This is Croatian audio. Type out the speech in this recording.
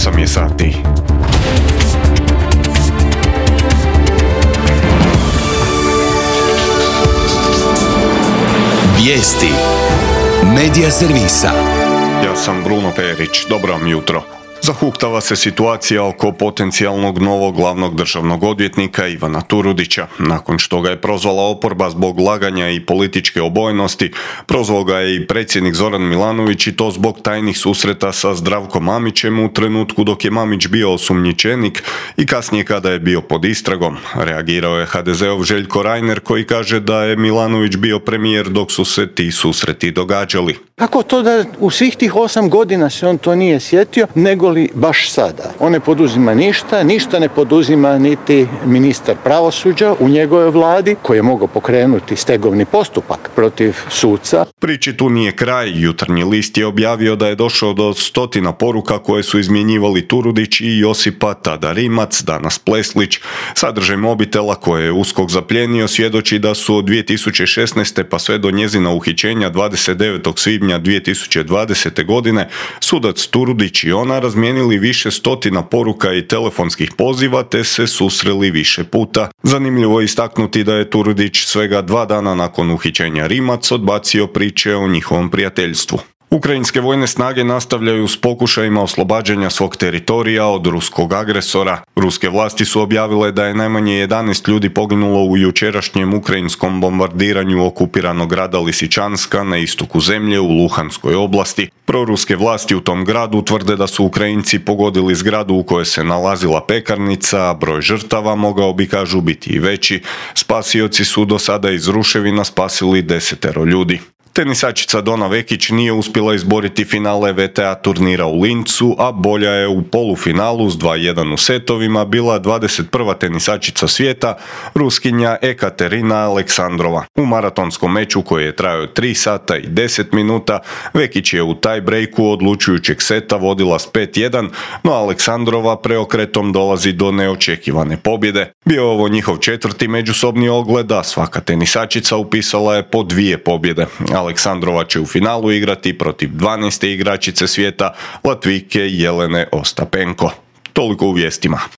8 je sati. Vijesti Medija servisa. Ja sam Bruno Perić, dobro vam jutro. Zahuktava se situacija oko potencijalnog novog glavnog državnog odvjetnika Ivana Turudića. Nakon što ga je prozvala oporba zbog laganja i političke obojenosti, prozvao ga je i predsjednik Zoran Milanović i to zbog tajnih susreta sa Zdravkom Mamićem u trenutku dok je Mamić bio osumnjičenik i kasnije kada je bio pod istragom. Reagirao je HDZ-ov Željko Reiner koji kaže da je Milanović bio premijer dok su se ti susreti događali. Kako to da u svih tih 8 godina se on to nije sjetio, nego li baš sada? On ne poduzima ništa ne poduzima niti ministar pravosuđa u njegovoj vladi koji je mogao pokrenuti stegovni postupak protiv suca. Priči tu nije kraj. Jutarnji list je objavio da je došao do 100 poruka koje su izmjenjivali Turudić i Josipa, tada Rimac, danas Pleslić. Sadržaj mobitela koje je USKOK zaplijenio svjedoči da su od 2016. pa sve do njezina uhićenja 29. svibnja 2020. godine sudac Turudić i ona razmijenili više stotina poruka i telefonskih poziva te se susreli više puta. Zanimljivo je istaknuti da je Turudić svega 2 dana nakon uhićenja Rimac odbacio priče o njihovom prijateljstvu. Ukrajinske vojne snage nastavljaju s pokušajima oslobađanja svog teritorija od ruskog agresora. Ruske vlasti su objavile da je najmanje 11 ljudi poginulo u jučerašnjem ukrajinskom bombardiranju okupiranog grada Lisičanska na istoku zemlje u Luhanskoj oblasti. Proruske vlasti u tom gradu tvrde da su Ukrajinci pogodili zgradu u kojoj se nalazila pekarnica, a broj žrtava mogao bi, kažu, biti i veći. Spasioci su do sada iz ruševina spasili 10 ljudi. Tenisačica Dona Vekić nije uspjela izboriti finale WTA turnira u Lincu, a bolja je u polufinalu s 2:1 u setovima bila 21. tenisačica svijeta, Ruskinja Ekaterina Aleksandrova. U maratonskom meču koji je trajao 3 sata i 10 minuta, Vekić je u tie-breaku odlučujućeg seta vodila s 5:1, no Aleksandrova preokretom dolazi do neočekivane pobjede. Bio je ovo njihov 4. međusobni ogled, a svaka tenisačica upisala je po 2 pobjede. Aleksandrova će u finalu igrati protiv 12. igračice svijeta, Latvijke Jelene Ostapenko. Toliko u vijestima.